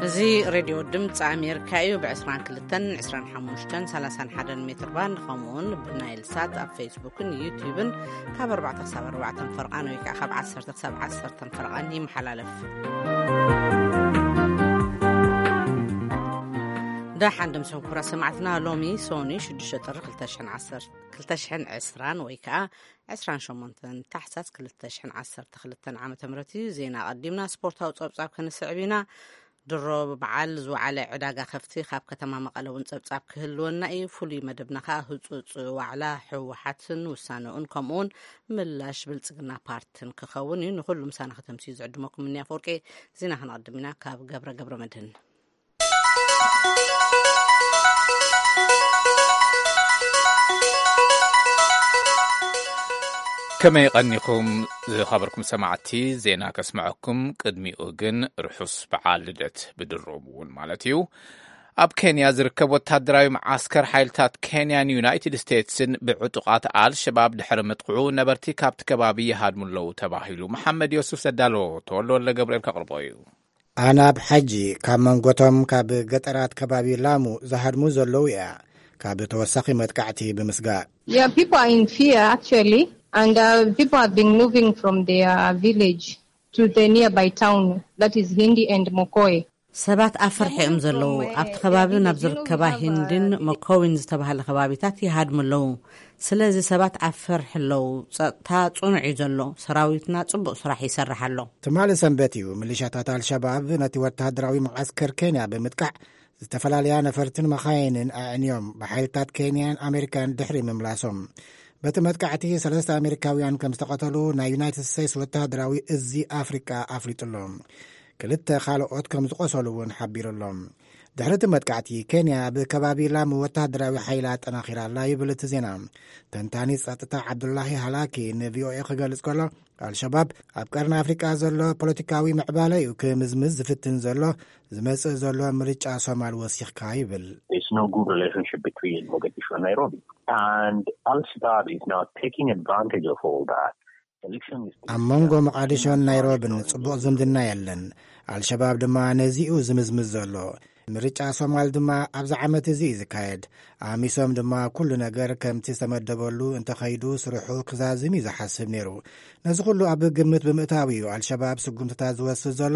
እዚ ሬድዮ ድምፂ ኣሜሪካ እዩ። ብ22፣ 25፣ 31 ሜትር ባንድ፣ ከምኡውን ብናይል ሳት ኣብ ፌስቡክን ዩቲዩብን ካብ ኣርባዕተ ክሳብ ኣርባዕተ ፈርቓን ወይ ከዓ ካብ ዓሰርተ ክሳብ ዓሰርተ ፈርቓን ይመሓላለፍ። ደሓን ድምፂ ክቡራት ሰማዕትና፣ ሎሚ ሶኒ ሽዱሽተ ጥሪ ክልተ ሽሕን ዓሰርተ፣ ክልተ ሽሕን ዕስራን ወይ ከዓ ዕስራን ሸሞንተን ታሕሳስ ክልተ ሽሕን ዓሰርተ ክልተን ዓመተ ምህረት እዩ። ዜና ኣቐዲምና ስፖርታዊ ጸብጻብ ክንስዕብ ኢና። ድሮ ብበዓል ዝወዓለ ዕዳጋ ከፍቲ ካብ ከተማ መቐለ እውን ጸብጻብ ክህልወና እዩ። ፍሉይ መደብና ከኣ ህጹጽ ዋዕላ ህወሓትን ውሳነኡን ከምኡውን ምላሽ ብልጽግና ፓርትን ክኸውን እዩ። ንኹሉ ምሳና ከተምስዩ ዝዕድመኩም እኒ ኣፈወርቂ። ዜና ክንቐድም ኢና ካብ ገብረ ገብረ መድህን። ከመይ ቀኒኹም ዝኸበርኩም ሰማዕቲ? ዜና ከስምዐኩም፣ ቅድሚኡ ግን ርሑስ በዓል ልደት ብድሮም እውን ማለት እዩ። ኣብ ኬንያ ዝርከብ ወታደራዊ መዓስከር ሓይልታት ኬንያን ዩናይትድ ስቴትስን ብዕጡቓት ኣልሸባብ ድሕሪ ምጥቕዑ፣ ነበርቲ ካብቲ ከባቢ ይሃድሙ ኣለዉ ተባሂሉ። መሓመድ ዮሱፍ ዘዳለዎ፣ ተወልደ ወልደ ገብርኤል ከቕርቦ እዩ። ኣናብ ሓጂ ካብ መንጎቶም ካብ ገጠራት ከባቢ ላሙ ዝሃድሙ ዘለዉ እያ፣ ካብ ተወሳኺ መጥቃዕቲ ብምስጋእ። Yeah, people are in fear actually, and uh, people have been moving from their village to the nearby town, that is Hindi and Mokoe. ሰባት ኣብ ፍርሒ እዮም ዘለዉ። ኣብቲ ከባቢ ናብ ዝርከባ ሂንድን መኮዊን ዝተባህለ ከባቢታት ይሃድሙ ኣለዉ። ስለዚ ሰባት ኣብ ፍርሒ ኣለዉ። ጸጥታ ጽኑዕ እዩ ዘሎ። ሰራዊትና ጽቡቕ ስራሕ ይሰርሕ ኣሎ። ትማሊ ሰንበት እዩ፣ ሚሊሻታት ኣልሸባብ ነቲ ወተሃደራዊ መዓስከር ኬንያ ብምጥቃዕ ዝተፈላለያ ነፈርትን መኻይንን ኣዕንዮም፣ ብሓይልታት ኬንያን ኣሜሪካን ድሕሪ ምምላሶም። በቲ መጥቃዕቲ ሰለስተ ኣሜሪካውያን ከም ዝተቐተሉ ናይ ዩናይትድ ስቴትስ ወተሃደራዊ እዚ ኣፍሪቃ ኣፍሊጡ ኣሎ። ክልተ ካልኦት ከም ዝቆሰሉ እውን ሓቢሩ ኣሎ። ድሕሪ እቲ መጥቃዕቲ፣ ኬንያ ኣብ ከባቢ ላሙ ወተሃደራዊ ሓይላ ኣጠናኺራ ኣላ ይብል እቲ ዜና። ተንታኒ ጸጥታ ዓብዱላሂ ሃላኪ ንቪኦኤ ክገልጽ ከሎ፣ ኣልሸባብ ኣብ ቀርኒ ኣፍሪቃ ዘሎ ፖለቲካዊ ምዕባለ እዩ ክምዝምዝ ዝፍትን ዘሎ፣ ዝመጽእ ዘሎ ምርጫ ሶማል ወሲኽካ ይብል። There's no good relationship between Mogadishu and Nairobi. And Al-Shabaab is now taking advantage of all that. Election is ኣብ መንጎ መቓዲሾን ናይሮብን ጽቡቕ ዝምድና የለን። ኣልሸባብ ድማ ነዚኡ ዝምዝምዝ ዘሎ። ምርጫ ሶማል ድማ ኣብዚ ዓመት እዚ እዩ ዝካየድ። ኣሚሶም ድማ ኩሉ ነገር ከምቲ ዝተመደበሉ እንተኸይዱ ስርሑ ክዛዝም እዩ ዝሓስብ ነይሩ። ነዚ ኩሉ ኣብ ግምት ብምእታው እዩ ኣልሸባብ ስጉምትታት ዝወስድ ዘሎ።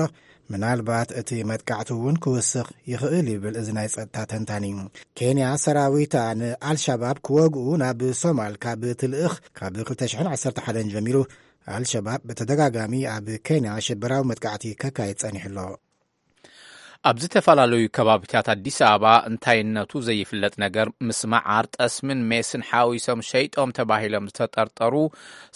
ምናልባት እቲ መጥቃዕቲ እውን ክውስኽ ይኽእል ይብል እዚ ናይ ጸጥታ ተንታኒ። ኬንያ ሰራዊታ ንኣልሸባብ ክወግኡ ናብ ሶማል ካብ ትልእኽ፣ ካብ ክልተ ሽሕን ዓሰርተ ሓደን ጀሚሩ ኣልሸባብ ብተደጋጋሚ ኣብ ኬንያ ሽበራዊ መጥቃዕቲ ከካይድ ጸኒሑ ኣሎ። ኣብ ዝተፈላለዩ ከባቢታት ኣዲስ ኣበባ እንታይነቱ ዘይፍለጥ ነገር ምስ መዓር፣ ጠስምን ሜስን ሓዊሶም ሸይጦም ተባሂሎም ዝተጠርጠሩ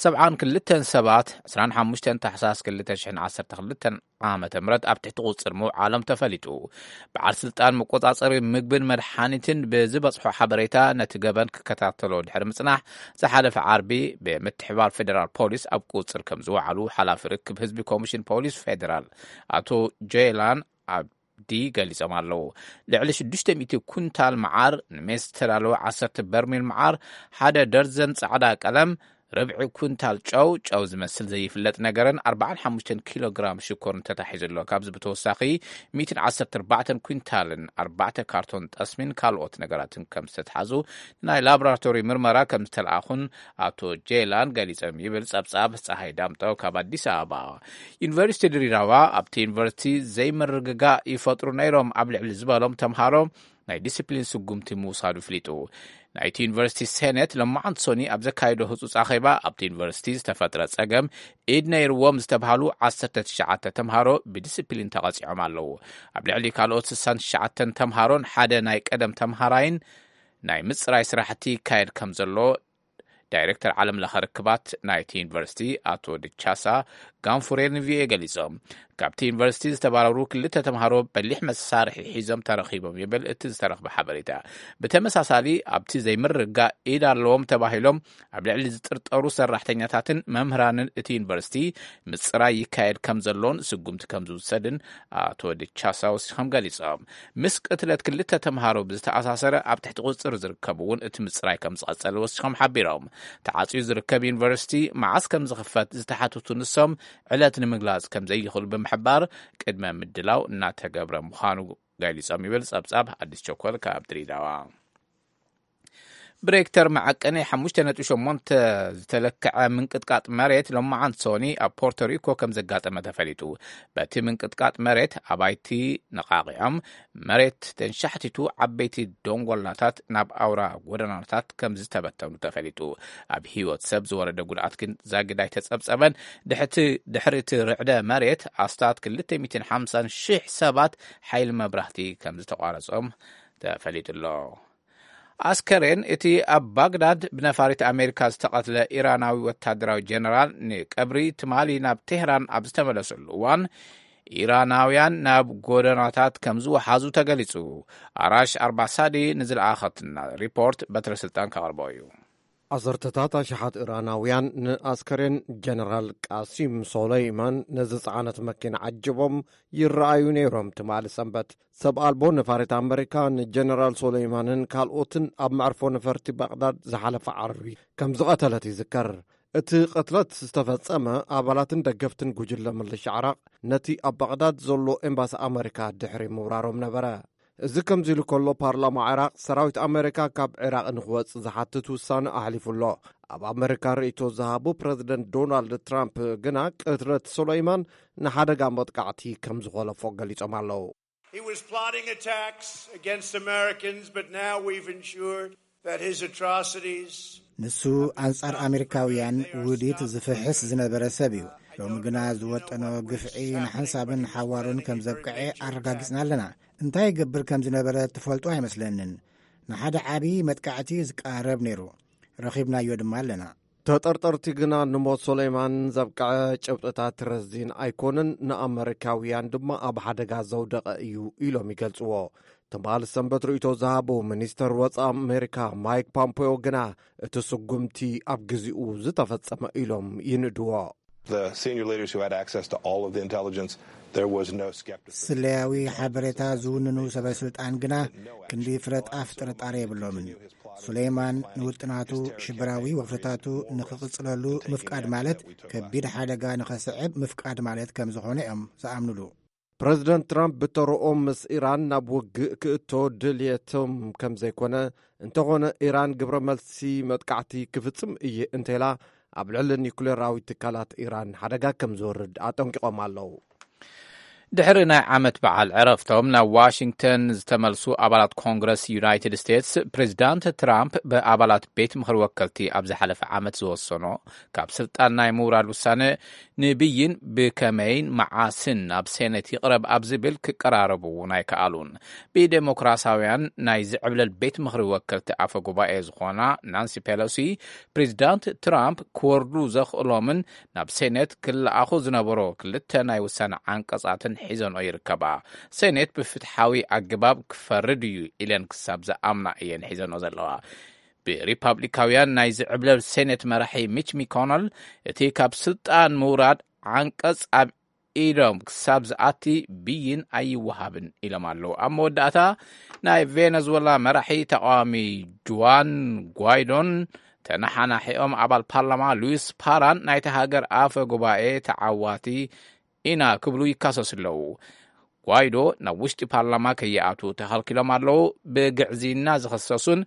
ሰብዓን ክልተን ሰባት ዕስራን ሓሙሽተን ታሕሳስ ክልተ ሽሕን ዓሰርተ ክልተን ዓመተ ምህረት ኣብ ትሕቲ ቁጽጽር ምውዓሎም ተፈሊጡ። በዓል ስልጣን መቆጻጸሪ ምግብን መድሓኒትን ብዝበጽሖ ሓበሬታ፣ ነቲ ገበን ክከታተሎ ድሕሪ ምጽናሕ፣ ዝሓለፈ ዓርቢ ብምትሕባር ፌደራል ፖሊስ ኣብ ቁጽጽር ከም ዝወዓሉ ሓላፊ ርክብ ህዝቢ ኮሚሽን ፖሊስ ፌደራል ኣቶ ጄላን ኣብዲ ገሊጾም ኣለዉ። ልዕሊ ሽዱሽተ ሚእቲ ኩንታል መዓር፣ ንሜስ ዝተዳለወ ዓሰርተ በርሚል መዓር፣ ሓደ ደርዘን ጻዕዳ ቀለም፣ ርብዒ ኩንታል ጨው፣ ጨው ዝመስል ዘይፍለጥ ነገርን ኣርባዓን ሓሙሽተን ኪሎ ግራም ሽኮርን ተታሒዙ ኣሎ። ካብዚ ብተወሳኺ፣ ሚእትን ዓሰርተ ኣርባዕተን ኩንታልን ኣርባዕተ ካርቶን ጠስሚን ካልኦት ነገራትን ከም ዝተትሓዙ ናይ ላቦራቶሪ ምርመራ ከም ዝተለኣኹን ኣቶ ጄላን ገሊጾም ይብል ጸብጻብ ጸሃይ ዳምጠው ካብ ኣዲስ ኣበባ። ዩኒቨርሲቲ ድሬዳዋ፣ ኣብቲ ዩኒቨርሲቲ ዘይምርግጋእ ይፈጥሩ ነይሮም ኣብ ልዕሊ ዝበሎም ተምሃሮ ናይ ዲስፕሊን ስጉምቲ ምውሳዱ ፍሊጡ። ናይቲ ዩኒቨርሲቲ ሴኔት ሎማዓንቲ ሶኒ ኣብ ዘካየዶ ህጹጽ ኣኼባ፣ ኣብቲ ዩኒቨርሲቲ ዝተፈጥረ ጸገም ኢድ ነይርዎም ዝተባሃሉ ዓሰርተ ትሽዓተ ተምሃሮ ብዲስፕሊን ተቐጺዖም ኣለዉ። ኣብ ልዕሊ ካልኦት ስሳን ትሽዓተን ተምሃሮን ሓደ ናይ ቀደም ተምሃራይን ናይ ምጽራይ ስራሕቲ ይካየድ ከም ዘሎ ዳይሬክተር ዓለም ለኸ ርክባት ናይቲ ዩኒቨርሲቲ ኣቶ ድቻሳ ጋንፉሬ ንቪኦኤ ገሊጾም። ካብቲ ዩኒቨርሲቲ ዝተባረሩ ክልተ ተምሃሮ በሊሕ መሳርሒ ሒዞም ተረኺቦም ይብል እቲ ዝተረኽበ ሓበሬታ። ብተመሳሳሊ፣ ኣብቲ ዘይምርግጋእ ኢድ ኣለዎም ተባሂሎም ኣብ ልዕሊ ዝጥርጠሩ ሰራሕተኛታትን መምህራንን እቲ ዩኒቨርሲቲ ምጽራይ ይካየድ ከም ዘሎን ስጉምቲ ከም ዝውሰድን ኣቶ ድቻሳ ወሲኾም ገሊጾም። ምስ ቅትለት ክልተ ተምሃሮ ብዝተኣሳሰረ ኣብ ትሕቲ ቁጽጽር ዝርከቡ እውን እቲ ምጽራይ ከም ዝቐጸለ ወሲኾም ሓቢሮም። ተዓጽዩ ዝርከብ ዩኒቨርሲቲ መዓስ ከም ዝኽፈት ዝተሓተቱ ንሶም፣ ዕለት ንምግላጽ ከም ዘይኽእሉ ንምሕባር ቅድመ ምድላው እናተገብረ ምዃኑ ገሊጾም ይብል ጸብጻብ ኣዲስ ቸኮል ካብ ድሬዳዋ። ብሬክተር መዐቀኒ ሓሙሽተ ነጥቢ ሸሞንተ ዝተለክዐ ምንቅጥቃጥ መሬት ሎማዓንቲ ሶኒ ኣብ ፖርቶሪኮ ከም ዘጋጠመ ተፈሊጡ። በቲ ምንቅጥቃጥ መሬት ኣባይቲ ነቓቒዖም፣ መሬት ተንሻሕቲቱ ዓበይቲ ደንጎላታት ናብ ኣውራ ጎደናታት ከም ዝተበተኑ ተፈሊጡ። ኣብ ህይወት ሰብ ዝወረደ ጉድኣት ግን ዛጊድ ኣይተጸብጸበን። ድሕቲ-፣ ድሕሪ እቲ ርዕደ መሬት ኣስታት ክልተ ሚእትን ሓምሳን ሽሕ ሰባት ሓይሊ መብራህቲ ከም ዝተቋረጾም ተፈሊጡ ኣሎ። ኣስከሬን እቲ ኣብ ባግዳድ ብነፋሪት ኣሜሪካ ዝተቐትለ ኢራናዊ ወታደራዊ ጀነራል ንቀብሪ ትማሊ ናብ ቴህራን ኣብ ዝተመለሰሉ እዋን፣ ኢራናውያን ናብ ጎደናታት ከም ዝወሓዙ ተገሊጹ። ኣራሽ ኣርባሳዲ ንዝለኣኸትና ሪፖርት በትረ ስልጣን ከቕርቦ እዩ። ዓሰርተታት ኣሽሓት ኢራናውያን ንኣስከሬን ጀነራል ቃሲም ሶለይማን ነዚ ጸዓነት መኪና ዓጅቦም ይረኣዩ ነይሮም። ትማሊ ሰንበት ሰብ ኣልቦ ነፋሪት ኣመሪካ ንጀነራል ሶለይማንን ካልኦትን ኣብ መዕርፎ ነፈርቲ ባግዳድ ዝሓለፈ ዓርቢ ከም ዝቐተለት ይዝከር። እቲ ቅትለት ዝተፈጸመ ኣባላትን ደገፍትን ጉጅለ ምልሻ ዓራቕ ነቲ ኣብ ባግዳድ ዘሎ ኤምባሲ ኣመሪካ ድሕሪ ምውራሮም ነበረ። እዚ ከምዚ ኢሉ ከሎ፣ ፓርላማ ዓራቕ ሰራዊት ኣመሪካ ካብ ዒራቕ ንኽወጽእ ዝሓትት ውሳነ ኣሕሊፉ ኣሎ። ኣብ ኣመሪካ ርእይቶ ዝሃቡ ፕረዚደንት ዶናልድ ትራምፕ ግና ቅትለት ሱለይማን ንሓደጋ መጥቃዕቲ ከም ዝኾለፎ ገሊጾም ኣለዉ። He was plotting attacks against Americans, but now we've ensured that his atrocities ንሱ ኣንጻር ኣሜሪካውያን ውዲት ዝፍሕስ ዝነበረ ሰብ እዩ። ሎሚ ግና ዝወጠኖ ግፍዒ ንሓንሳብን ሓዋሩን ከም ዘብቅዐ ኣረጋጊጽና ኣለና። እንታይ ይገብር ከም ዝነበረ ትፈልጡ ኣይመስለንን። ንሓደ ዓቢ መጥቃዕቲ ዝቃረብ ነይሩ። ረኺብናዮ ድማ ኣለና። ተጠርጠርቲ ግና ንሞት ሶለይማን ዘብቅዐ ጭብጥታት ረዚን ኣይኮነን፣ ንኣመሪካውያን ድማ ኣብ ሓደጋ ዘውደቐ እዩ ኢሎም ይገልጽዎ። ትማሊ ሰንበት ርእይቶ ዝሃቡ ሚኒስተር ወጻኢ ኣሜሪካ ማይክ ፖምፔዮ ግና እቲ ስጉምቲ ኣብ ግዚኡ ዝተፈጸመ ኢሎም ይንእድዎ። The senior leaders who had access to all of the intelligence, there was no skepticism. ስለያዊ ሓበሬታ ዝውንኑ ሰበ ስልጣን ግና ክንዲ ፍረጣፍ ጥርጣሬ የብሎምን። ሱሌይማን ንውጥናቱ ሽበራዊ ወፍርታቱ ንኽቕጽለሉ ምፍቃድ ማለት ከቢድ ሓደጋ ንኸስዕብ ምፍቃድ ማለት ከም ዝኾነ እዮም ዝኣምኑሉ። ፕረዚደንት ትራምፕ ብተረኦም ምስ ኢራን ናብ ውግእ ክእቶ ድልየቶም ከም ዘይኮነ፣ እንተኾነ ኢራን ግብረ መልሲ መጥቃዕቲ ክፍጽም እየ እንተኢላ፣ ኣብ ልዕሊ ኒኩሌራዊ ትካላት ኢራን ሓደጋ ከም ዝወርድ ኣጠንቂቖም ኣለዉ። ድሕሪ ናይ ዓመት በዓል ዕረፍቶም ናብ ዋሽንግተን ዝተመልሱ ኣባላት ኮንግረስ ዩናይትድ ስቴትስ፣ ፕሬዚዳንት ትራምፕ ብኣባላት ቤት ምኽሪ ወከልቲ ኣብ ዝሓለፈ ዓመት ዝወሰኖ ካብ ስልጣን ናይ ምውራድ ውሳነ ንብይን ብከመይን መዓስን ናብ ሴኔት ይቕረብ ኣብ ዝብል ክቀራረቡ እውን ኣይከኣሉን። ብዴሞክራሲያውያን ናይ ዝዕብለል ቤት ምኽሪ ወከልቲ ኣፈ ጉባኤ ዝኾና ናንሲ ፔሎሲ፣ ፕሬዚዳንት ትራምፕ ክወርዱ ዘኽእሎምን ናብ ሴኔት ክለኣኹ ዝነበሮ ክልተ ናይ ውሳነ ዓንቀጻትን ሒዘንኦ ይርከባ። ሴኔት ብፍትሓዊ ኣገባብ ክፈርድ እዩ ኢለን ክሳብ ዝኣምና እየን ሒዘንኦ ዘለዋ። ብሪፓብሊካውያን ናይ ዝዕብለል ሴኔት መራሒ ሚች ሚኮነል፣ እቲ ካብ ስልጣን ምውራድ ዓንቀጽ ኣብ ኢዶም ክሳብ ዝኣቲ ብይን ኣይወሃብን ኢሎም ኣለዉ። ኣብ መወዳእታ ናይ ቬነዙዌላ መራሒ ተቃዋሚ ጁዋን ጓይዶን ተነሓናሒኦም ኣባል ፓርላማ ሉዊስ ፓራን ናይቲ ሃገር ኣፈ ጉባኤ ተዓዋቲ ኢና ክብሉ ይካሰሱ ኣለዉ። ጓይዶ ናብ ውሽጢ ፓርላማ ከይኣቱ ተኸልኪሎም ኣለዉ። ብግዕዝይና ዝኸሰሱን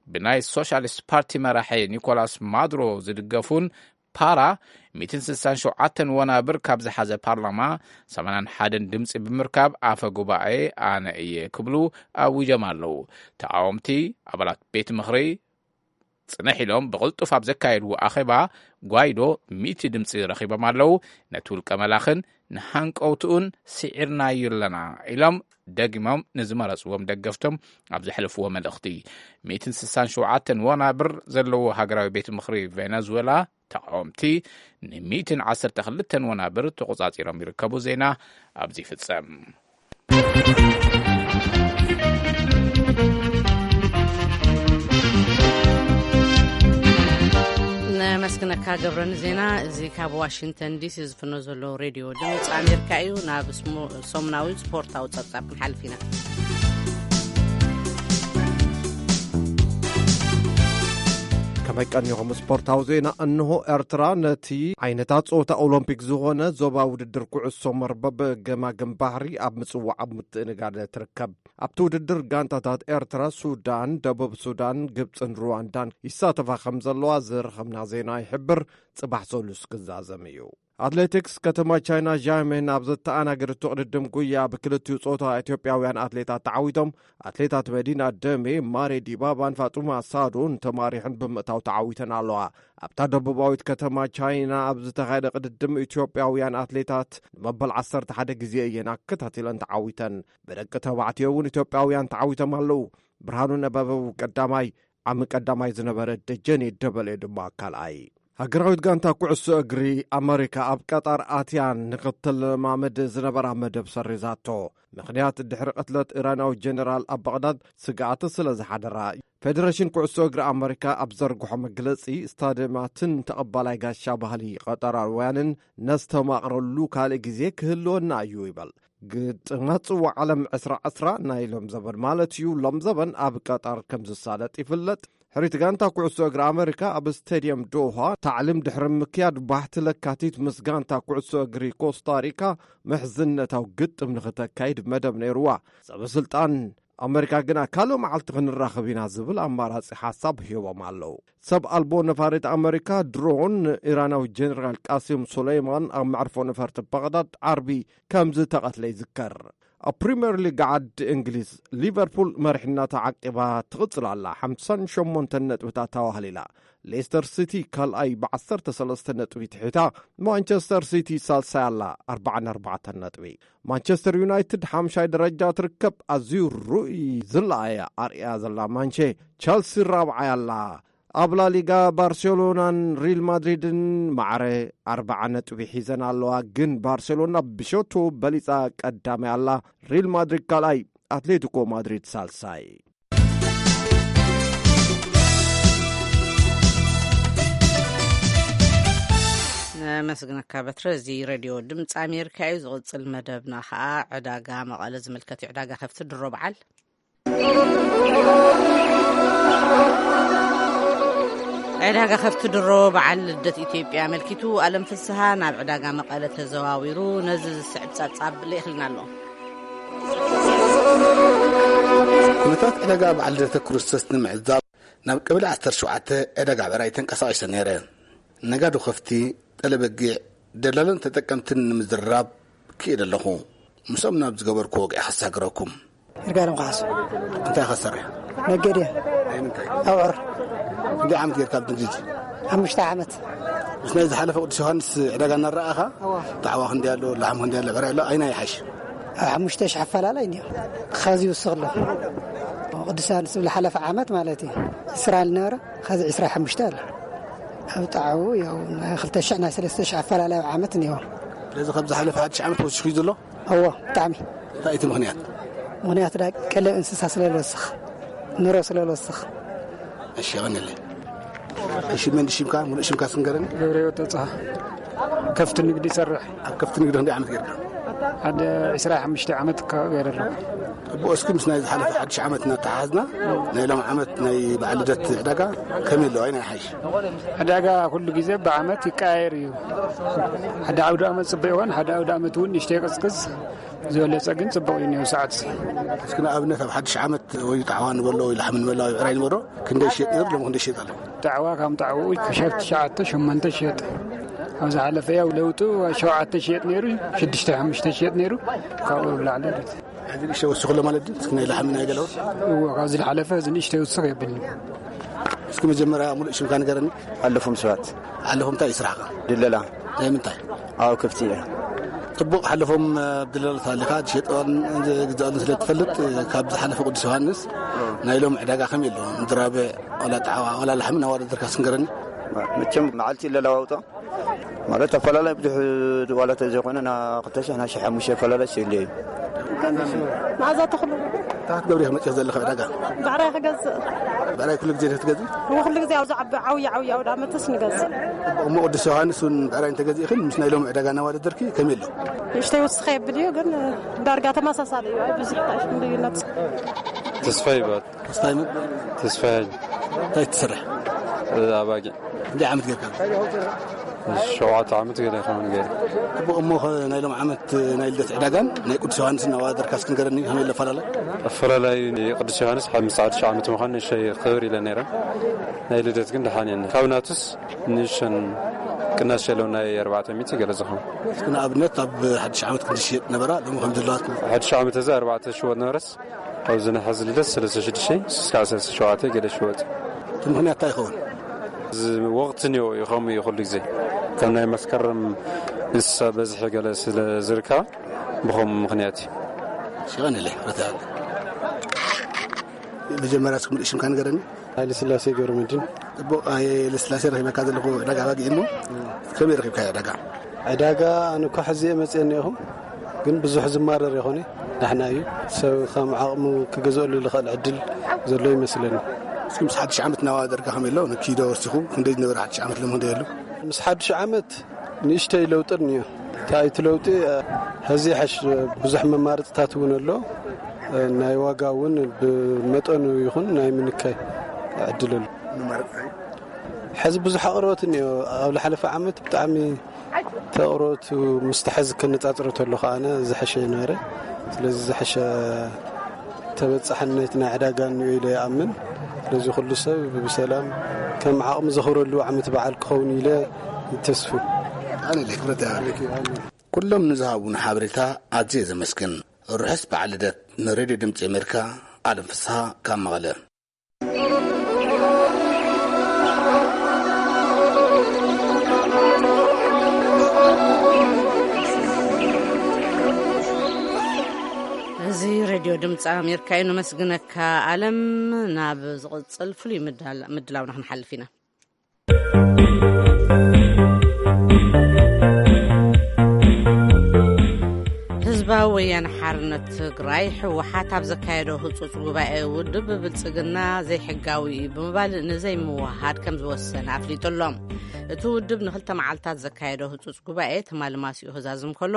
ብናይ ሶሻሊስት ፓርቲ መራሒ ኒኮላስ ማዱሮ ዝድገፉን ፓራ ሚእትን ስሳን ሸውዓተን ወናብር ካብ ዝሓዘ ፓርላማ ሰማንያን ሓደን ድምፂ ብምርካብ ኣፈ ጉባኤ ኣነ እየ ክብሉ ኣዊጆም ኣለዉ። ተቃወምቲ ኣባላት ቤት ምኽሪ ጽንሕ ኢሎም ብቕልጡፍ ኣብ ዘካየድዎ ኣኼባ ጓይዶ ሚእቲ ድምፂ ረኺቦም ኣለዉ። ነቲ ውልቀ መላኽን ንሃንቀውትኡን ስዒርናዮ ኣለና ኢሎም ደጊሞም ንዝመረፅዎም ደገፍቶም ኣብ ዘሕለፍዎ መልእኽቲ፣ ሚእትን ስሳን ሸውዓተን ወናብር ዘለዎ ሃገራዊ ቤት ምኽሪ ቬነዙዌላ ተቃወምቲ ን ሚእትን ዓሰርተ ክልተን ወናብር ተቆጻጺሮም ይርከቡ። ዜና ኣብዚ ይፍጸም። ነመስግነካ ገብረ ንዜና። እዚ ካብ ዋሽንግተን ዲሲ ዝፍኖ ዘሎ ሬድዮ ድምፂ ኣሜሪካ እዩ። ናብ ስሞ-፣ ሰሙናዊ ስፖርታዊ ጸብጻብ ክንሓልፍ ኢና። ከመይ ቀኒኹም? ስፖርታዊ ዜና እንሆ። ኤርትራ ነቲ ዓይነታት ጸወታ ኦሎምፒክ ዝኾነ ዞባ ውድድር ኩዕሶ መርበብ ገማግም ባሕሪ ኣብ ምጽዋዕ ኣብ ምትእንጋድ ትርከብ። ኣብቲ ውድድር ጋንታታት ኤርትራ፣ ሱዳን፣ ደቡብ ሱዳን፣ ግብጽን ሩዋንዳን ይሳተፋ ከም ዘለዋ ዝረኸብና ዜና ይሕብር። ጽባሕ ሰሉስ ክዛዘም እዩ። ኣትሌቲክስ፣ ከተማ ቻይና ዣሜን ኣብ ዘተኣናገደቶ ቅድድም ጉያ ብክልቲኡ ጾታ ኢትዮጵያውያን ኣትሌታት ተዓዊቶም። ኣትሌታት መዲና ደሜ፣ ማሬ ዲባባን ፋጡማ ሳዶን ተማሪሕን ብምእታው ተዓዊተን ኣለዋ። ኣብታ ደቡባዊት ከተማ ቻይና ኣብ ዝተኻየደ ቅድድም ኢትዮጵያውያን ኣትሌታት ንመበል ዓሰርተ ሓደ ግዜ እየን ኣከታቲለን ተዓዊተን። ብደቂ ተባዕትዮ እውን ኢትዮጵያውያን ተዓዊቶም ኣለዉ። ብርሃኑ ነበበው ቀዳማይ፣ ዓሚ ቀዳማይ ዝነበረ ደጀኔ ደበሌ ድማ ካልኣይ። ሃገራዊት ጋንታ ኩዕሶ እግሪ ኣመሪካ ኣብ ቀጣር ኣትያ ንኽትለማመድ ዝነበራ መደብ ሰሪዛቶ። ምኽንያት ድሕሪ ቅትለት ኢራናዊ ጀነራል ኣብ ባቕዳድ ስግኣት ስለ ዝሓደራ። ፌደሬሽን ኩዕሶ እግሪ ኣመሪካ ኣብ ዘርግሖ መግለጺ፣ ስታድዮማትን ተቐባላይ ጋሻ ባህሊ ቀጠራውያንን ነስተማቕረሉ ካልእ ግዜ ክህልወና እዩ ይበል። ግጥማት ጽዋዕ ዓለም ዕስራ ዕስራ ናይ ሎም ዘበን ማለት እዩ፣ ሎም ዘበን ኣብ ቀጣር ከም ዝሳለጥ ይፍለጥ። ሕሪት ጋንታ ኩዕሶ እግሪ ኣመሪካ ኣብ ስቴድየም ዶሃ ታዕሊም ድሕሪ ምክያድ፣ ባሕቲ ለካቲት ምስ ጋንታ ኩዕሶ እግሪ ኮስታሪካ ምሕዝነታዊ ግጥም ንኽተካይድ መደብ ነይርዋ። ሰበ ስልጣን ኣመሪካ ግና፣ ካልእ መዓልቲ ክንራኸብ ኢና ዝብል ኣማራጺ ሓሳብ ሂቦም ኣለዉ። ሰብ ኣልቦ ነፋሪት ኣመሪካ ድሮን፣ ኢራናዊ ጀነራል ቃሲም ሱለይማን ኣብ መዕርፎ ነፈርቲ ባቕዳድ ዓርቢ ከም ዝተቐትለ ይዝከር። ኣብ ፕሪምየር ሊግ ዓዲ እንግሊዝ፣ ሊቨርፑል መሪሕነታ ዓቂባ ትቕጽል ኣላ። ሓምሳን ሸሞንተን ነጥብታት ተዋህሊላ። ሌስተር ሲቲ ካልኣይ ብዓሰርተ ሰለስተ ነጥቢ ትሒታ። ማንቸስተር ሲቲ ሳልሳይ ኣላ፣ ኣርባዓን ኣርባዕተን ነጥቢ። ማንቸስተር ዩናይትድ ሓምሻይ ደረጃ ትርከብ። ኣዝዩ ርኡይ ዝለኣየ ኣርእያ ዘላ ማንቼ፣ ቸልሲ ራብዓይ ኣላ። ኣብ ላሊጋ ባርሴሎናን ሪል ማድሪድን ማዕረ ኣርባዓ ነጥቢ ሒዘን ኣለዋ፣ ግን ባርሴሎና ብሸቶ በሊጻ ቀዳማይ ኣላ። ሪል ማድሪድ ካልኣይ፣ ኣትሌቲኮ ማድሪድ ሳልሳይ። ነመስግነካ በትረ። እዚ ሬድዮ ድምፂ ኣሜሪካ እዩ። ዝቕፅል መደብና ከዓ ዕዳጋ መቐለ ዝምልከት እዩ። ዕዳጋ ከፍቲ ድሮ በዓል። ዕዳጋ ከፍቲ ድሮ በዓል ልደት ኢትዮጵያ ኣመልኪቱ፣ ኣለም ፍስሃ ናብ ዕዳጋ መቐለ ተዘዋዊሩ ነዚ ዝስዕብ ጸብጻብ ልኢኽልና ኣሎ። ኩነታት ዕዳጋ በዓል ልደተ ክርስቶስ ንምዕዛብ ናብ ቀበሌ ዓሰርተ ሸውዓተ ዕዳጋ ብዕራይ ተንቀሳቒሰ ነይረ። ነጋዶ ከፍቲ፣ ጠለበጊዕ፣ ደላሎን ተጠቀምትን ንምዝርራብ ክኢለ ኣለኹ። ምስኦም ናብ ዝገበርኩ ወግዒ ከሳግረኩም። ይርጋለም ካሕሱ። እንታይ ኢኻ ትሰርሕ? ነጋዴ። ናይ ምንታይ? ኣብዑር። ክንደይ ዓመት ጌርካ ኣብ ንግዲ? ሓሙሽተ ዓመት። ምስ ናይ ዝሓለፈ ቅዱስ ዮሃንስ ዕዳጋ እናረኣኻ? እዋ። ጣዕዋ ክንደይ ኣሎ፣ ላሕሚ ክንደይ ኣሎ፣ ብዕራይ ኣሎ፣ ኣይናይ ይሓይሽ? ኣብ ሓሙሽተ ሽሕ ኣፈላላይ እንድዮ። ኻዚ ይውስኽ ኣሎ። ቅዱስ ዮሃንስ ዝብል ሓለፈ ዓመት ማለት እዩ። ዕስራ ዝነበረ፣ ኻዚ ዕስራ ሓሙሽተ ኣሎ። ኣብ ጣዕው ያው ናይ ክልተ ሽሕ ናይ ሰለስተ ሽሕ ኣፈላላይ ኣብ ዓመት እንድዮ። ስለዚ ካብ ዝሓለፈ ሓድሽ ዓመት ወሲኹ እዩ ዘሎ? እዎ፣ ብጣዕሚ። እንታይ እቲ ምኽንያት? ምኽንያት ዳ ቀለብ እንስሳ ስለ ዝወስኽ፣ ኑሮ ስለ ዝወስኽ። እሺ፣ የቐንየለይ። እሺ፣ መን ሽምካ? ሙሉእ ሽምካ ስንገረኒ። ገብረ ህይወት ተጽሃ። ከፍቲ ንግዲ ይሰርሕ። ኣብ ከፍቲ ንግዲ ክንደይ ዓመት ጌርካ? ሓደ ዕስራ ሓሙሽተ ዓመት ከባቢ ገይረ ኣለኹ። ጽቡቕ፣ እስኪ ምስ ናይ ዝሓለፈ ሓድሽ ዓመት እናተሓሓዝና፣ ናይ ሎም ዓመት ናይ በዓል ልደት ዕዳጋ ከመይ ኣለዋ? ኣይናይ ሓይሽ? ዕዳጋ ኩሉ ግዜ ብዓመት ይቀያየር እዩ። ሓደ ዓውደ ዓመት ጽቡቕ ይኾን፣ ሓደ ዓውደ ዓመት እውን ንእሽተይ ይቕዝቅዝ። ዝበለጸ ግን ጽቡቕ እዩ እኒኦ ሰዓት እዚ። እስኪ ንኣብነት ኣብ ሓድሽ ዓመት ወይ ጣዕዋ ንበሎ ወይ ላሕሚ ንበሎ ወይ ብዕራይ ንበሎ ክንደይ ይሸጥ ነይሩ፣ ሎሚ ክንደይ ይሸጥ ኣሎ? ጣዕዋ ካብ ጣዕዋኡ ሸፍቲ ሸዓተ ሸሞንተ ይሸጥ። ኣብ ዝሓለፈ ያው ለውጡ ሸውዓተ ይሸጥ ነይሩ፣ ሽዱሽተ ሓሙሽተ ይሸጥ ነይሩ፣ ካብኡ ብላዕሊ ይሸጥ። ሕዚ ንእሽተይ ወሲኹ ኣሎ ማለት ድዩ? እስኪ ናይ ላሕሚ ናይ ገለውን። እዎ፣ ካብዚ ዝሓለፈ እዚ ንእሽተይ ውስኽ የብልኒ። እስኪ መጀመርያ ሙሉእ ሽምካ ንገረኒ። ኣለፎም ሰባት። ኣለፎም እንታይ እዩ ስራሕካ? ድለላ። ናይ ምንታይ? ኣዎ፣ ከፍቲ እየ። ጽቡቕ፣ ሓለፎም ኣብ ድለላ ኣለኻ፣ ትሸጠኦን ዝግዛኦን ስለ ትፈልጥ፣ ካብ ዝሓለፈ ቅዱስ ዮሃንስ ናይ ሎም ዕዳጋ ከመይ ኣሎ? ምድራብዕ፣ ዋላ ጣዕዋ፣ ዋላ ላሕሚ እናወዳደርካ ስንገረኒ። መቸም መዓልቲ ይለዋወጦ። ማለት ኣፈላላይ ብዙሕ ዋላ ተዘይኮነ፣ ና ክልተ ሽሕ፣ ና ሽሕ ሓሙሽተ ኣፈላላይ ስለ እዩ። መኣዛ ተኽሉ። እንታይ ክትገብሪ ኢኺ መፂኺ ዘለኺ ዕዳጋ? ብዕራይ ክገዝእ። ብዕራይ ኩሉ ግዜ ዲኺ ትገዝኢ? እሞ ኩሉ ግዜ ኣብዚ ዓቢ ዓብዪ ዓብዪ ኣውደ ዓመትስ ንገዝእ። እሞ ቅዱስ ዮሃንስ እውን ብዕራይ እንተገዚእኽን ምስ ናይ ሎሚ ዕዳጋ እናወዳደርኪ ከመይ ኣሎ? ንእሽተይ ውስኸ የብል እዩ፣ ግን ዳርጋ ተመሳሳሊ እዩ። ኣይ ብዙሕ ኣይፍልም ልዩነት። ተስፋ ይባል። ተስፋይ መን? ተስፋይ። እንታይ ትሰርሕ? ኣባጊዕ። ክንደይ ዓመት ጌርካ? ሸውዓተ ዓመት ገለ ይኸውን ገይሩ። ጽቡቕ። እሞ ኸ ናይ ሎም ዓመት ናይ ልደት ዕዳጋን ናይ ቅዱስ ዮሃንስን ኣወዳድርካ እስኪ ንገረኒ፣ ከመይ ኣሎ ኣፈላላይ? ኣፈላላይ ቅዱስ ዮሃንስ ምስ ሓድሽ ዓመት ምዃን ንእሽተይ ክብር ኢለ ነይረ። ናይ ልደት ግን ደሓን እየን። ካብ ናቱስ ንእሽተን ቅናሽ የለውን፣ ናይ ኣርባዕተ ሚእቲ ገለ ዝኸውን። እስኪ ንኣብነት ኣብ ሓድሽ ዓመት ክንዲ ሽየጥ ነበራ፣ ሎሚ ከም ዘለዋ እስኪ። ሓድሽ ዓመት እዚ ኣርባዕተ ሽወጥ ነበረስ፣ ኣብዚ ናይ ሕዚ ልደት ሰለስተ ሽዱሽተ እስካዕ ሰለስተ ሸውዓተ ገለ ሽወጥ። እቲ ምኽንያት እንታይ ይኸውን? እዚ ወቕቲ እኒኦ እዩ፣ ከምኡ እዩ ኩሉ ግዜ። ከም ናይ መስከረም እንስሳ በዝሒ ገለ ስለ ዝርከባ ብኸምኡ ምኽንያት እዩ። ሽቐንለይ፣ ረትዓል። መጀመርያ እስኪ ምሉእ ሽምካ ንገረኒ። ሃይለ ስላሴ ገብረ መድህን። ጽቡቕ፣ ሃይለ ስላሴ፣ ረኺበካ ዘለኹ ዕዳጋ ኣባጊዕ እሞ፣ ከመይ ረኺብካዮ ዕዳጋ? ዕዳጋ ኣነ እኳ ሕዚ እየ መጽአ እኒአኹ፣ ግን ብዙሕ ዝማረር ይኾነ፣ ዳሕና እዩ። ሰብ ከም ዓቕሙ ክገዝአሉ ዝኽእል ዕድል ዘሎ ይመስለኒ። እስኪ ምስ ሓድሽ ዓመት እናወዳደርካ ከመይ ኣሎ? ንኪዶ ወሲኹ ክንደይ ዝነበረ ሓድሽ ዓመት ሎም ክንደይ ኣሎ? ምስ ሓድሽ ዓመት ንእሽተይ ለውጢ እኒኦ። እንታይ እቲ ለውጢ? ሕዚ ሕሽ ብዙሕ መማረፅታት እውን ኣሎ። ናይ ዋጋ እውን ብመጠኑ ይኹን ናይ ምንካይ ዕድል ኣሎ። መማረፅታይ? ሕዚ ብዙሕ ኣቕርቦት እኒኦ። ኣብ ዝሓለፈ ዓመት ብጣዕሚ ተቕርቦቱ ምስቲ ሕዚ ከነፃፅሮ ተሎ ከዓነ ዝሐሸ ነበረ። ስለዚ ዝሐሸ ተበፃሕነት ናይ ዕዳጋ እኒኦ ኢለ ይኣምን። ስለዚ ኩሉ ሰብ ብሰላም ከም ዓቕሚ ዘኽብረሉ ዓመት በዓል ክኸውን ኢለ ይተስፉ። ኣነ ኢለ ክብረት ይሃበለኪ። ኩሎም ንዝሃቡን ሓበሬታ ኣዝየ ዘመስግን። ርሑስ በዓል ልደት ንሬድዮ ድምፂ ኣሜሪካ። ኣለም ፍስሃ ካብ መቐለ። እዚ ሬድዮ ድምፂ ኣሜሪካ እዩ። ነመስግነካ ኣለም። ናብ ዝቕጽል ፍሉይ ምድላውና ክንሓልፍ ኢና። ህዝባዊ ወያነ ሓርነት ትግራይ፣ ህወሓት፣ ኣብ ዘካየዶ ህጹጽ ጉባኤ፣ ውድብ ብልጽግና ዘይሕጋዊ እዩ ብምባል ንዘይምውሃድ ከም ዝወሰነ ኣፍሊጡ ኣሎ። እቲ ውድብ ንኽልተ መዓልታት ዘካየዶ ህጹጽ ጉባኤ፣ ትማሊ ማሲኡ ክዛዝም ከሎ፣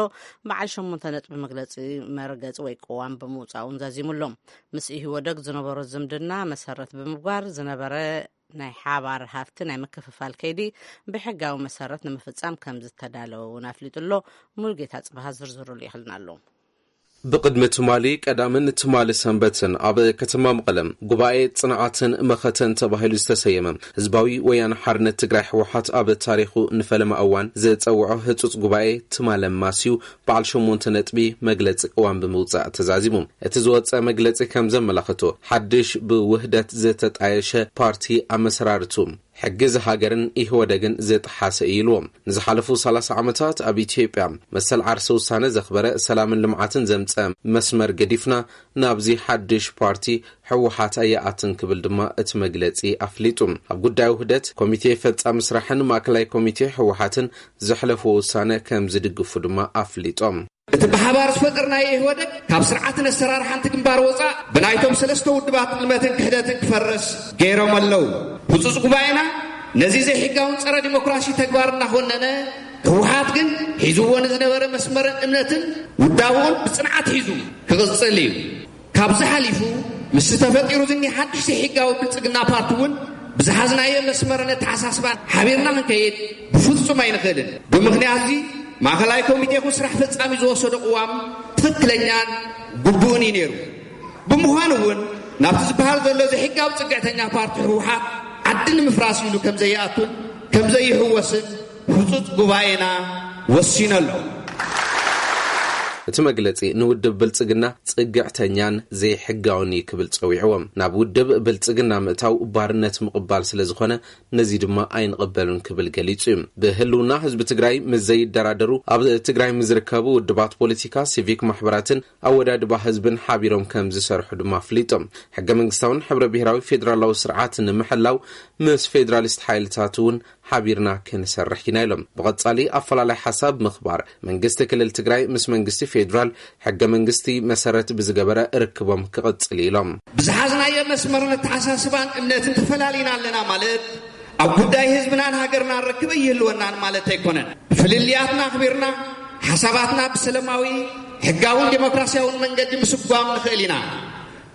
በዓል ሸሞንተ ነጥቢ መግለጺ መርገጺ ወይ ቅዋም ብምውጻእ እውን ዛዚሙ ኣሎ። ምስ ኢህወደግ ዝነበሮ ዝምድና መሰረት ብምግባር ዝነበረ ናይ ሓባር ሃፍቲ ናይ ምክፍፋል ከይዲ ብሕጋዊ መሰረት ንምፍጻም ከም ዝተዳለወ እውን ኣፍሊጡ ኣሎ። ሙሉጌታ ጽብሃ ዝርዝሩ ልኢኽልና ኣሎ። ብቕድሚ ትማሊ ቀዳምን ትማሊ ሰንበትን ኣብ ከተማ መቐለ ጉባኤ ጽንዓትን መኸተን ተባሂሉ ዝተሰየመ ህዝባዊ ወያነ ሓርነት ትግራይ፣ ህወሓት፣ ኣብ ታሪኹ ንፈለማ እዋን ዘጸውዖ ህጹጽ ጉባኤ ትማሊ ማስዩ በዓል ሸሞንተ ነጥቢ መግለጺ ቅዋም ብምውጻእ ተዛዚሙ። እቲ ዝወጸ መግለጺ ከም ዘመላኽቶ፣ ሓድሽ ብውህደት ዝተጣየሸ ፓርቲ ኣመሰራርቱ ሕጊ ዝሃገርን ኢህወደግን ዝጠሓሰ እዩ ኢልዎ። ንዝሓለፉ ሰላሳ ዓመታት ኣብ ኢትዮጵያ መሰል ዓርሰ ውሳነ ዘኽበረ፣ ሰላምን ልምዓትን ዘምጸ መስመር ገዲፍና ናብዚ ሓድሽ ፓርቲ ህወሓት ኣይኣትን ክብል ድማ እቲ መግለጺ ኣፍሊጡ። ኣብ ጉዳይ ውህደት ኮሚቴ ፈጻሚ ስራሕን ማእከላይ ኮሚቴ ህወሓትን ዘሕለፍዎ ውሳነ ከም ዝድግፉ ድማ ኣፍሊጦም። እቲ ብሓባር ዝፈጠርናዮ ኢህወደግ ካብ ስርዓትን ኣሰራርሓን እቲ ግንባር ወፃእ ብናይቶም ሰለስተ ውድባት ጥልመትን ክሕደትን ክፈርስ ገይሮም ኣለዉ። ህጹጽ ጉባኤና ነዚ ዘይሕጋውን ጸረ ዲሞክራሲ ተግባር እናኾነነ፣ ህወሓት ግን ሒዝዎ ንዝነበረ መስመርን እምነትን ውዳብኡን ብጽንዓት ሒዙ ክቕጽል እዩ። ካብዚ ሓሊፉ፣ ምስቲ ተፈጢሩ ዝኒሀ ሓድሽ ዘይሕጋዊ ብልጽግና ፓርቲ እውን ብዝሓዝናዮ መስመርን ኣተሓሳስባን ሓቢርና ክንከይድ ብፍጹም ኣይንኽእልን። ብምኽንያት እዚ፣ ማእከላይ ኮሚቴ ይኹን ስራሕ ፈጻሚ ዝወሰዶ ቅዋም ትኽክለኛን ግቡእን እዩ ነይሩ። ብምዃኑ እውን፣ ናብቲ ዝበሃል ዘሎ ዘይሕጋዊ ጽግዕተኛ ፓርቲ ህወሓት ዓዲ ንምፍራስ ኢሉ ከም ዘይኣቱን ከም ዘይህወስን ህጹጽ ጉባኤና ወሲኑ ኣሎ። እቲ መግለጺ ንውድብ ብልጽግና ጽግዕተኛን ዘይሕጋውን እዩ ክብል ጸዊዕዎም። ናብ ውድብ ብልጽግና ምእታው ባርነት ምቕባል ስለ ዝኾነ፣ ነዚ ድማ ኣይንቕበሉን ክብል ገሊጹ እዩ። ብህልውና ህዝቢ ትግራይ ምስ ዘይደራደሩ፣ ኣብ ትግራይ ምስ ዝርከቡ ውድባት ፖለቲካ፣ ሲቪክ ማሕበራትን ኣወዳድባ ህዝብን ሓቢሮም ከም ዝሰርሑ ድማ ኣፍሊጦም። ሕገ መንግስታውን ሕብረ ብሔራዊ ፌዴራላዊ ስርዓት ንምሕላው ምስ ፌዴራሊስት ሓይልታት እውን ሓቢርና ክንሰርሕ ኢና ኢሎም። ብቐጻሊ ኣፈላላይ ሓሳብ ምኽባር፣ መንግስቲ ክልል ትግራይ ምስ መንግስቲ ፌዴራል ሕገ መንግስቲ መሰረት ብዝገበረ ርክቦም ክቕጽል ኢሎም። ብዝሓዝናዮ መስመርን ኣተሓሳስባን እምነትን ተፈላሊና ኣለና ማለት ኣብ ጉዳይ ህዝብናን ሃገርናን ርክብ ኣይህልወናን ማለት ኣይኮነን። ፍልልያትና ኣኽቢርና፣ ሓሳባትና ብሰላማዊ፣ ሕጋውን ዴሞክራሲያውን መንገዲ ምስጓም ንኽእል ኢና።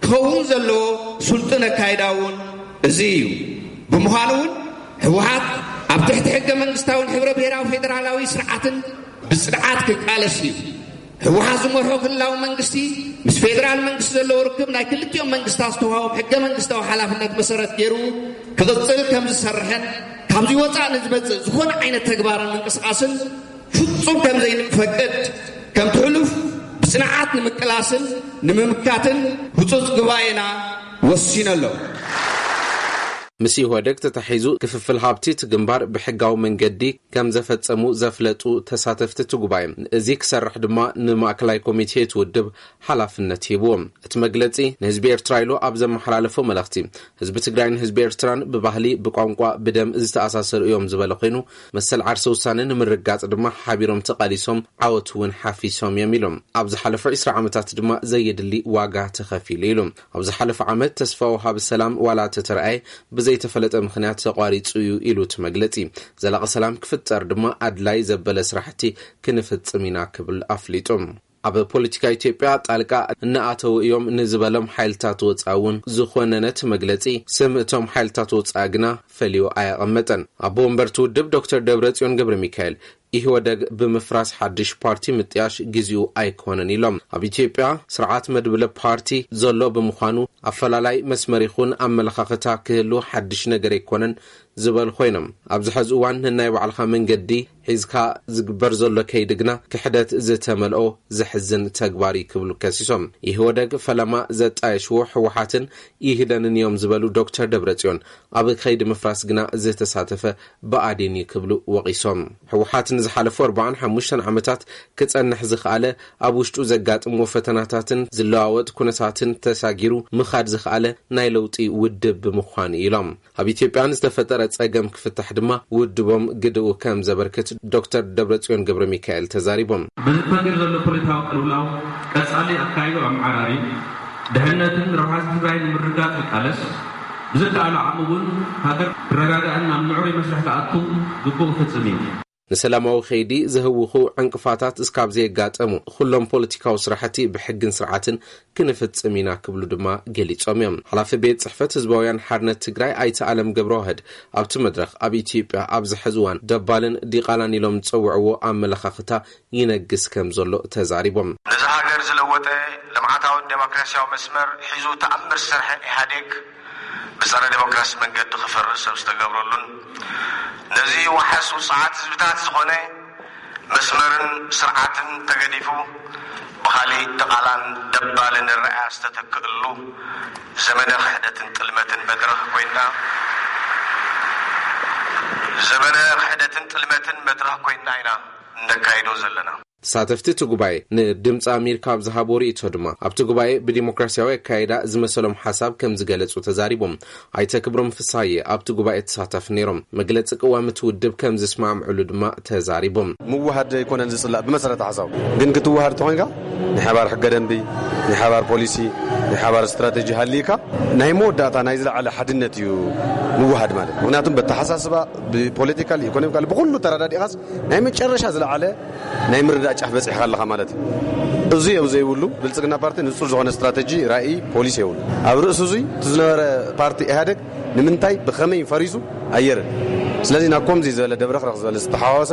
ክኸውን ዘለዎ ስልጡን ኣካይዳ እውን እዚ እዩ። ብምዃኑ እውን ህወሓት ኣብ ትሕቲ ሕገ መንግስታውን ሕብረ ብሔራዊ ፌደራላዊ ስርዓትን ብጽንዓት ክቃለስ እዩ። ህወሓት ዝመርሖ ክልላዊ መንግስቲ ምስ ፌደራል መንግስቲ ዘለዎ ርክብ ናይ ክልቲኦም መንግስታት ዝተዋህቦም ሕገ መንግስታዊ ሓላፍነት መሰረት ገይሩ ክቕጽል ከም ዝሰርሕን ካብዚ ወፃእ ንዝመጽእ ዝኾነ ዓይነት ተግባርን ምንቅስቃስን ፍጹም ከም ዘይንፈቅድ ከምቲ ሕሉፍ ብጽንዓት ንምቅላስን ንምምካትን ህጹጽ ጉባኤና ወሲኑ ኣሎ። ምስ ኢህወደግ ተታሒዙ ክፍፍል ሃብቲ እቲ ግንባር ብሕጋዊ መንገዲ ከም ዘፈጸሙ ዘፍለጡ ተሳተፍቲ እቲ ጉባኤ፣ እዚ ክሰርሕ ድማ ንማእከላይ ኮሚቴ እቲ ውድብ ሓላፍነት ሂብዎ። እቲ መግለጺ ንህዝቢ ኤርትራ ኢሉ ኣብ ዘመሓላለፎ መልእኽቲ፣ ህዝቢ ትግራይን ህዝቢ ኤርትራን ብባህሊ፣ ብቋንቋ፣ ብደም ዝተኣሳሰሩ እዮም ዝበለ ኮይኑ፣ መሰል ዓርሰ ውሳነ ንምርጋጽ ድማ ሓቢሮም ተቓሊሶም ዓወት እውን ሓፊሶም እዮም ኢሉ። ኣብ ዝሓለፉ ዕስራ ዓመታት ድማ ዘየድሊ ዋጋ ተኸፊሉ ኢሉ። ኣብ ዝሓለፈ ዓመት ተስፋ ወሃቢ ሰላም ዋላ ተተረኣየ ብዘይተፈለጠ ምኽንያት ተቋሪጹ እዩ ኢሉ እቲ መግለጺ። ዘላቒ ሰላም ክፍጠር ድማ ኣድላይ ዘበለ ስራሕቲ ክንፍጽም ኢና ክብል ኣፍሊጡ። ኣብ ፖለቲካ ኢትዮጵያ ጣልቃ እናኣተዉ እዮም ንዝበሎም ሓይልታት ወፃኢ እውን ዝኾነነ እቲ መግለፂ ስም እቶም ሓይልታት ወፃኢ ግና ፈልዩ ኣየቐመጠን። ኣቦ ወንበር እቲ ውድብ ዶክተር ደብረፅዮን ገብረ ሚካኤል ኢህወደግ ብምፍራስ ሓድሽ ፓርቲ ምጥያሽ ግዚኡ ኣይኮነን ኢሎም። ኣብ ኢትዮጵያ ስርዓት መድብለ ፓርቲ ዘሎ ብምዃኑ ኣፈላላይ መስመር ይኹን ኣመለኻኽታ ክህሉ ሓድሽ ነገር ኣይኮነን ዝበሉ ኮይኖም፣ ኣብዚ ሐዚ እዋን ነናይ ባዕልኻ መንገዲ ሒዝካ ዝግበር ዘሎ ከይዲ ግና ክሕደት ዝተመልኦ ዘሕዝን ተግባር እዩ ክብሉ ከሲሶም። ኢህወደግ ፈለማ ዘጣየሽዎ ህወሓትን ኢህደንን እዮም ዝበሉ ዶክተር ደብረፅዮን፣ ኣብ ከይዲ ምፍራስ ግና ዝተሳተፈ ብኣዴን እዩ ክብሉ ወቒሶም። ህወሓት ንዝሓለፉ ኣርባዓን ሓሙሽተን ዓመታት ክጸንሕ ዝኸኣለ፣ ኣብ ውሽጡ ዘጋጥምዎ ፈተናታትን ዝለዋወጥ ኩነታትን ተሳጊሩ ምኻድ ዝኸኣለ ናይ ለውጢ ውድብ ብምዃኑ ኢሎም። ኣብ ኢትዮጵያ ንዝተፈጠረ ጸገም ክፍታሕ ድማ ውድቦም ግድኡ ከም ዘበርክት ዶክተር ደብረጽዮን ገብረ ሚካኤል ተዛሪቦም። በዚ ተፈጢሩ ዘሎ ፖለቲካዊ ቅልውላው ቀጻሊ ኣካይዱ ኣመዓራሪ ድሕነትን ረብሓ ህዝቢ ትግራይ ንምርግጋጽ ይቃለስ። ብዝከኣሎ ዓቕሚ እውን ሃገር ክረጋጋእን ናብ ምዕሩይ መስርሕ ክኣቱ ግቡእ ክፍጽም እዩ። ንሰላማዊ ከይዲ ዘህውኹ ዕንቅፋታት እስካብ ዘየጋጠሙ፣ ኩሎም ፖለቲካዊ ስራሕቲ ብሕግን ስርዓትን ክንፍጽም ኢና ክብሉ ድማ ገሊጾም እዮም። ሓላፊ ቤት ጽሕፈት ህዝባውያን ሓርነት ትግራይ ኣይተ ኣለም ገብረዋህድ ኣብቲ መድረኽ፣ ኣብ ኢትዮጵያ ኣብዚ ሕዚ እዋን ደባልን ዲቓላን ኢሎም ዝጸውዕዎ ኣመለኻኽታ ይነግስ ከም ዘሎ ተዛሪቦም። ነዚ ሃገር ዝለወጠ ልምዓታውን ዴሞክራሲያዊ መስመር ሒዙ ተኣምር ዝሰርሐ ኢህኣዴግ ብጸረ ዴሞክራሲ መንገዲ ክፈርስ ሰብ ዝተገብረሉን ነዚ ዋሕስ ውጽዓት ህዝብታት ዝኾነ መስመርን ስርዓትን ተገዲፉ ብኻሊእ ድቓላን ደባልን ርኣያ ዝተተክእሉ ዘመነ ክሕደትን ጥልመትን መድረኽ ኮይና ዘመነ ክሕደትን ጥልመትን መድረኽ ኮይና ኢና እነካይዶ ዘለና። ተሳተፍቲ እቲ ጉባኤ ንድምፂ ኣሜሪካ ኣብ ዝሃቦ ርእይቶ ድማ፣ ኣብቲ ጉባኤ ብዲሞክራሲያዊ ኣካይዳ ዝመሰሎም ሓሳብ ከም ዝገለጹ ተዛሪቦም። ኣይተ ክብሮም ፍስሃየ ኣብቲ ጉባኤ ተሳታፊ ነይሮም። መግለጺ ቅዋም እቲ ውድብ ከም ዝስማምዕሉ ድማ ተዛሪቦም። ምውሃድ ኣይኮነን ዝጽላእ ብመሰረተ ሓሳብ፣ ግን ክትውሃድ ተኾይንካ ናይ ሓባር ሕገ ደንቢ፣ ናይ ሓባር ፖሊሲ፣ ናይ ሓባር ስትራተጂ ሃልይካ ናይ መወዳእታ ናይ ዝለዓለ ሓድነት እዩ ምውሃድ ማለት። ምክንያቱም በተሓሳስባ፣ ብፖለቲካል፣ ኢኮኖሚካል፣ ብኩሉ ተረዳዲእኻስ ናይ መጨረሻ ዝለዓለ ናይ ምርዳእ ጫፍ በፂሕካ ኣለኻ ማለት እዩ። እዚ ኣብ ዘይብሉ ብልፅግና ፓርቲ ንፁር ዝኾነ ስትራተጂ፣ ራእይ፣ ፖሊሲ የብሉ። ኣብ ርእሲ እዙይ እቲ ዝነበረ ፓርቲ ኢህኣደግ ንምንታይ ብኸመይ ፈሪሱ ኣየርን። ስለዚ ናብ ከምዚ ዝበለ ደብረኽረኽ ዝበለ ዝተሓዋወሰ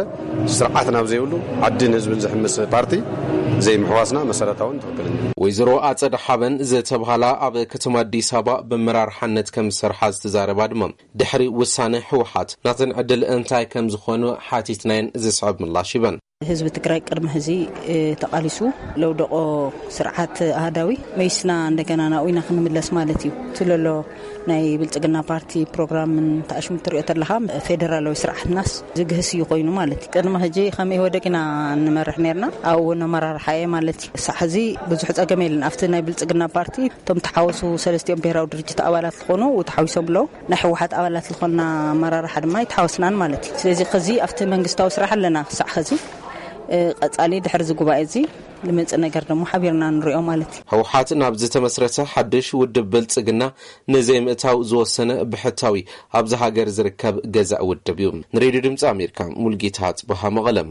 ስርዓት ናብ ዘይብሉ ዓድን ህዝብን ዝሕምስ ፓርቲ ዘይምሕዋስና መሰረታውን ትኽክልን እዩ። ወይዘሮ ኣጸደ ሓበን ዝተብሃላ ኣብ ከተማ ኣዲስ ኣበባ ብመራርሓነት ከም ዝሰርሓ ዝተዛረባ ድማ፣ ድሕሪ ውሳነ ህወሓት ናተን ዕድል እንታይ ከም ዝኾኑ ሓቲትናየን ዝስዕብ ምላሽ ሂበን። ህዝቢ ትግራይ ቅድሚ ሕዚ ተቓሊሱ ለውደቆ ስርዓት ኣሃዳዊ መይስና እንደገና ናብኡ ኢና ክንምለስ ማለት እዩ። እቲ ለሎ ናይ ብልፅግና ፓርቲ ፕሮግራምን ተኣሽሙ ትሪኦ ተለኻ ፌደራላዊ ስርዓትናስ ዝግህስ እዩ ኮይኑ ማለት እዩ። ቅድሚ ሕጂ ከም ኢህወደግ ኢና ንመርሕ ነርና፣ ኣብኡ እውን ኣመራርሓ እየ ማለት እዩ። ሳዕ ሕዚ ብዙሕ ፀገም የለን። ኣብቲ ናይ ብልፅግና ፓርቲ እቶም ተሓወሱ ሰለስቲኦም ብሄራዊ ድርጅት ኣባላት ዝኾኑ ተሓዊሶም ኣለዉ። ናይ ህወሓት ኣባላት ዝኾንና ኣመራርሓ ድማ ይተሓወስናን ማለት እዩ። ስለዚ ከዚ ኣብቲ መንግስታዊ ስራሕ ኣለና ክሳዕ ከዚ። እ፣ ቀጻሊ ድሕሪ እዚ ጉባኤ እዚ ዝመጽእ ነገር ደሞ ሓቢርና ንሪኦ ማለት እዩ። ህወሓት ናብ ዝተመስረተ ሓድሽ ውድብ ብልጽግና ንዘይምእታው ዝወሰነ ብሕታዊ ኣብዚ ሃገር ዝርከብ ገዛእ ውድብ እዩ። ንሬድዮ ድምፂ ኣሜሪካ ሙልጌታ ኣጽበሃ መቐለም።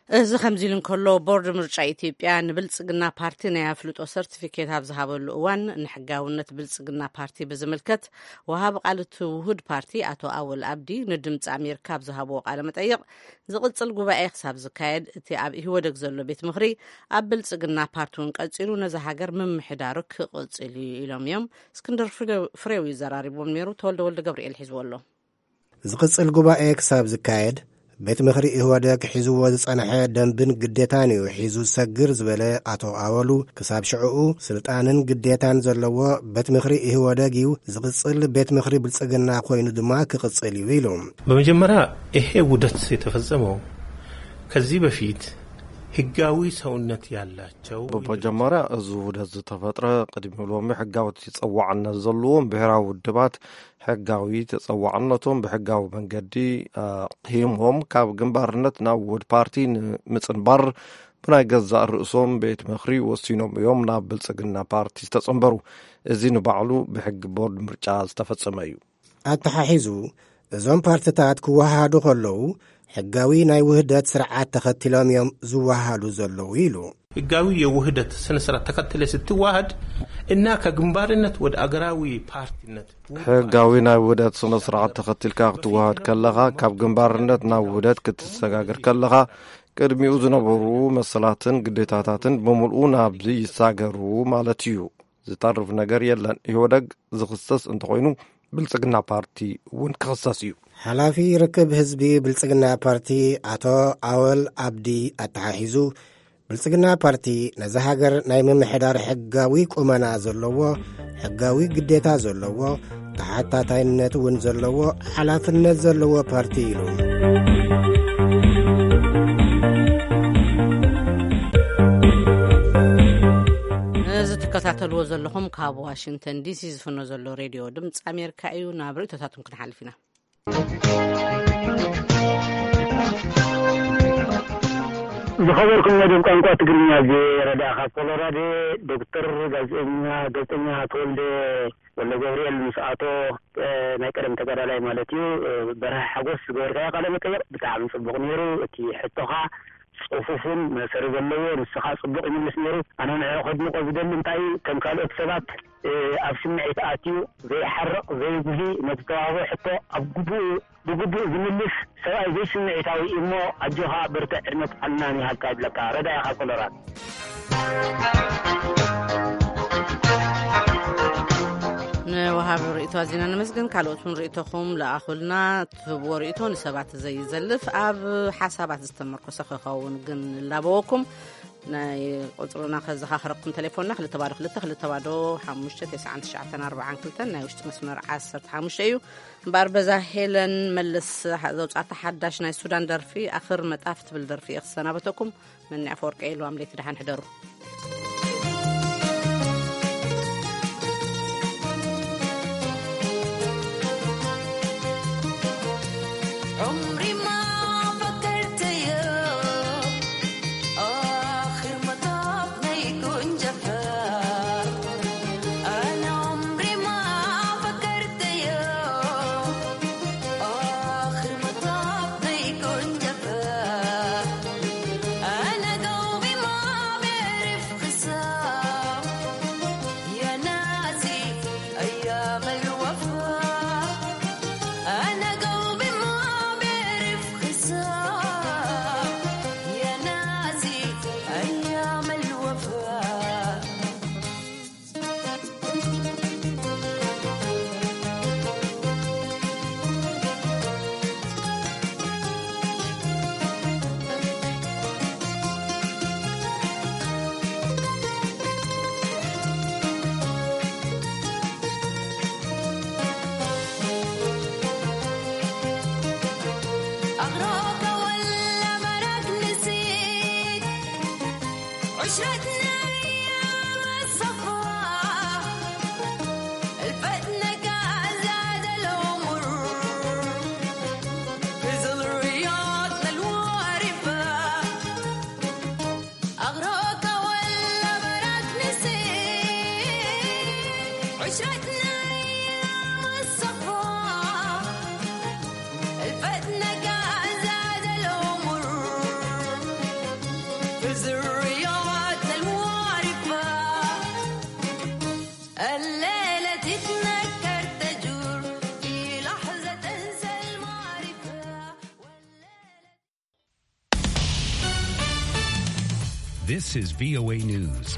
እዚ ከምዚ ኢሉ እንከሎ፣ ቦርድ ምርጫ ኢትዮጵያ ንብልጽግና ፓርቲ ናይ ኣፍልጦ ሰርቲፊኬት ኣብ ዝሃበሉ እዋን፣ ንሕጋውነት ብልጽግና ፓርቲ ብዝምልከት፣ ወሃቢ ቃል እቲ ውሁድ ፓርቲ ኣቶ ኣወል ኣብዲ ንድምፂ ኣሜሪካ ኣብ ዝሃብዎ ቃለ መጠይቕ፣ ዝቕጽል ጉባኤ ክሳብ ዝካየድ፣ እቲ ኣብ ኢህወደግ ዘሎ ቤት ምኽሪ ኣብ ብልጽግና ፓርቲ እውን ቀጺሉ ነዛ ሃገር ምምሕዳሩ ክቕጽል እዩ ኢሎም እዮም። እስክንድር ፍሬው፣ ፍሬው እዩ ዘራሪቦም ነይሩ። ተወልደ ወልደ ገብርኤል ሒዝዎ ኣሎ። ዝቕጽል ጉባኤ ክሳብ ዝካየድ፣ ቤት ምኽሪ ኢህወደግ ሒዝዎ ዝጸንሐ ደንብን ግዴታን እዩ ሒዙ ዝሰግር ዝበለ ኣቶ ኣወሉ፣ ክሳብ ሽዕኡ ስልጣንን ግዴታን ዘለዎ ቤት ምኽሪ ኢህወደግ እዩ ዝቕጽል፣ ቤት ምኽሪ ብልጽግና ኮይኑ ድማ ክቕጽል እዩ ኢሉ። በመጀመሪያ፣ ይሄ ውህደት የተፈጸመው ከዚህ በፊት ህጋዊ ሰውነት ያላቸው በመጀመሪያ፣ እዚ ውህደት ዝተፈጥረ ቅድሚ ሎሚ ሕጋዊ ተጸዋዕነት ዘለዎም ብሔራዊ ውድባት ሕጋዊ ተጸዋዕነቶም ብሕጋዊ መንገዲ ኣቕሂሞም ካብ ግንባርነት ናብ ውሁድ ፓርቲ ንምጽንባር ብናይ ገዛእ ርእሶም ቤት ምኽሪ ወሲኖም እዮም ናብ ብልጽግና ፓርቲ ዝተጸንበሩ። እዚ ንባዕሉ ብሕጊ ቦርድ ምርጫ ዝተፈጸመ እዩ። ኣተሓሒዙ፣ እዞም ፓርትታት ክወሃሃዱ ከለዉ፣ ሕጋዊ ናይ ውህደት ስርዓት ተኸቲሎም እዮም ዝወሃሃዱ ዘለዉ ኢሉ። ህጋዊ የውህደት ስነ ስርዓት ተኸትለ ስትዋሃድ እና ከግንባርነት ወደ ኣገራዊ ፓርቲነት ሕጋዊ ናይ ውህደት ስነ ስርዓት ተኸቲልካ ክትወሃድ ከለኻ፣ ካብ ግንባርነት ናብ ውህደት ክትሰጋገር ከለኻ፣ ቅድሚኡ ዝነበሩ መሰላትን ግዴታታትን ብምልኡ ናብዚ ይሳገሩ ማለት እዩ። ዝተርፍ ነገር የለን። ኢህወደግ ዝኽሰስ እንተኾይኑ፣ ብልጽግና ፓርቲ እውን ክኽሰስ እዩ። ሓላፊ ርክብ ህዝቢ ብልጽግና ፓርቲ ኣቶ ኣወል ኣብዲ ኣተሓሒዙ፣ ብልጽግና ፓርቲ ነዛ ሃገር ናይ ምምሕዳር ሕጋዊ ቁመና ዘለዎ፣ ሕጋዊ ግዴታ ዘለዎ፣ ተሓታታይነት እውን ዘለዎ፣ ሓላፍነት ዘለዎ ፓርቲ ኢሉ። እዚ ትከታተልዎ ዘለኹም ካብ ዋሽንግተን ዲሲ ዝፍኖ ዘሎ ሬድዮ ድምፂ ኣሜሪካ እዩ። ናብ ርእይቶታትኩም ክንሓልፍ ኢና። ዝኸበርኩም መደብ ቋንቋ ትግርኛ፣ እዚ ረዳ ካብ ኮሎራዶ፣ ዶክተር፣ ጋዜጠኛ፣ ጋዜጠኛ ተወልደ ወልደ ገብርኤል ምስ ኣቶ፣ እ፣ ናይ ቀደም ተጋዳላይ ማለት እዩ፣ እ፣ በርሀ ሓጎስ ዝገበርካዮ ቃለ መጠይቕ ብጣዕሚ ጽቡቕ ነይሩ። እቲ ሕቶኻ ጽፉፍን መእሰሪ ዘለዎ፣ ንስኻ ጽቡቕ ይምልስ ነይሩ። ኣነ ንዕኡ ከድንቆ ዝደሊ እንታይ እዩ፣ ከም ካልኦት ሰባት፣ እ፣ ኣብ ስምዒት ኣትዩ ዘይሓርቕ፣ ዘይጉሂ፣ ነቲ ተዋህቦ ሕቶ ኣብ ግቡእ፣ ብግቡእ ዝምልስ ሰብኣይ ዘይስምዒታዊ እዩ እሞ፣ ኣጆኻ በርትዕ፣ ዕድመ ጥዕናን ይሃብካ ይብለካ። ረዳኢ ካብ ኮሎራዶ። ንወሃቢ ርእይቶ ኣዚና ነመስግን። ካልኦት እውን ርእይቶኹም ለኣኹልና። ትህብዎ ርእይቶ ንሰባት ዘይዘልፍ፣ ኣብ ሓሳባት ዝተመርኮሰ ክኸውን ግን ንላበወኩም። ናይ ቁጽርና ከዘኻኽረኩም፣ ቴሌፎንና ክልተ ባዶ ክልተ ክልተ ባዶ ሓሙሽተ ተስዓን ትሽዓተን ኣርባዓን ክልተን፣ ናይ ውሽጢ መስመር ዓሰርተ ሓሙሽተ እዩ። እምበኣር በዛ ሄለን መልስ ዘውጻእታ ሓዳሽ ናይ ሱዳን ደርፊ ኣኽር መጣፍ ትብል ደርፊ እየ ክሰናበተኩም። መኒ ኣፈወርቂ ኢሉ ኣምሌት፣ ደሓን ሕደሩ። عمري ما فكرت يا آخر مطاف ما يكون جفاف. أنا عمري ما فكرت يا آخر مطاف ما يكون جفاف. أنا قلبي ما بيعرف خصام. يا ناسي أيام الوفا. أنا قلبي ما بيعرف خصام. يا ناسي أيام الوفا. أغراك ولا براك نسيت عشرتنا أيام الصفا. الفتنة كان زاد العمر في ظل رياضنا الوارفة. أغراك ولا براك نسيت عشرتنا أيام الصفا. الفتنة كان زاد العمر This is V O A News.